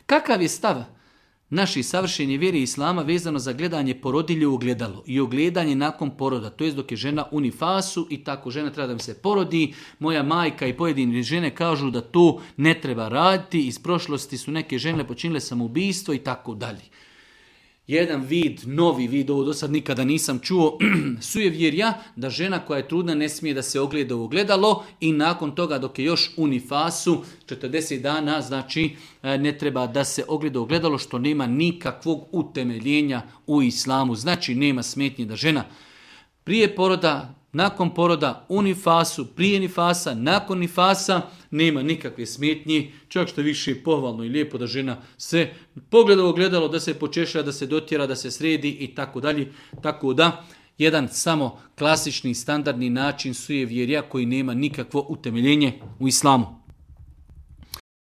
Kakav je stav naši savršeni vjeri Islama vezano za gledanje porodilje u ogledalo i ogledanje nakon poroda, to je dok je žena u nifasu i tako žena treba da mi se porodi. Moja majka i pojedine žene kažu da to ne treba raditi, iz prošlosti su neke žene počinile samoubistvo i tako dalje. Jedan vid, novi vid, ovo do sad nikada nisam čuo, sujevjerja da žena koja je trudna ne smije da se ogleda u ogledalo i nakon toga dok je još u nifasu 40 dana, znači ne treba da se ogleda u ogledalo, što nema nikakvog utemeljenja u islamu. Znači nema smetnje da žena prije poroda, nakon poroda, u nifasu, prije nifasa, nakon nifasa, nema nikakve smetnje, čak što više je pohvalno i lijepo da žena se pogleda u ogledalo, da se počeša, da se dotjera, da se sredi i tako dalje. Tako da, jedan samo klasični standardni način sujevjerja koji nema nikakvo utemeljenje u islamu.